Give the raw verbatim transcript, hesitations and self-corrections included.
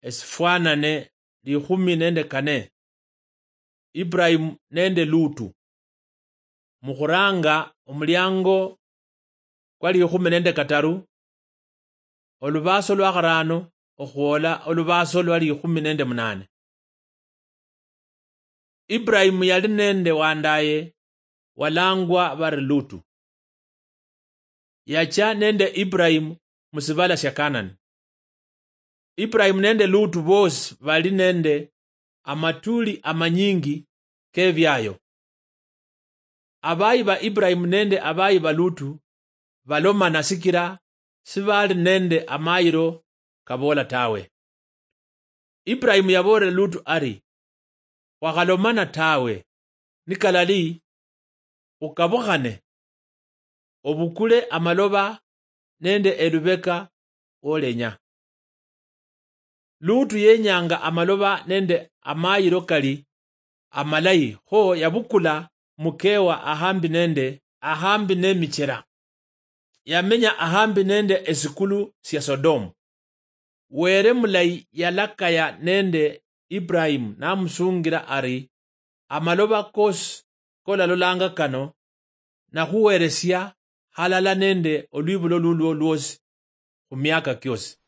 esifwanane likhumi nende kane. Ibrahimu nende Lutu. Mukhuranga omuliango kwa likhumi nende kataru, olubaaso lwa kharano okhwola olubaaso lwa likhumi nende munane. Ibrahimu yali nende wandaye walangwa bari Lutu. Yachia nende Ibrahimu musibala sia Kanani. Ibrahimu nende Lutu bosi bali nende amatuli amanyingi kebiayo. Abayi ba Ibrahimu nende abayi ba Lutu balomana sikila sibali nende amayilo kaboola tawe. Ibrahimu yaboolera Lutu ari, "Khwakhalomana tawe, nikalali khukabukhane, obukule amaloba nende elubeka wolenya." Lutu yenyanga amaloba nende amayilo kali amalayi, kho yabukula mukewa ahambi nende, ahambi nemichela. Yamenya ahambi nende esikulu sia Sodomu. Were mulayi yalakaya nende Ibrahimu namusungira ari, "Amaloba kosi kolalolanga kano, nakhuweresia halala nende olwibulo lulwo lwosi khumiaka kiosi."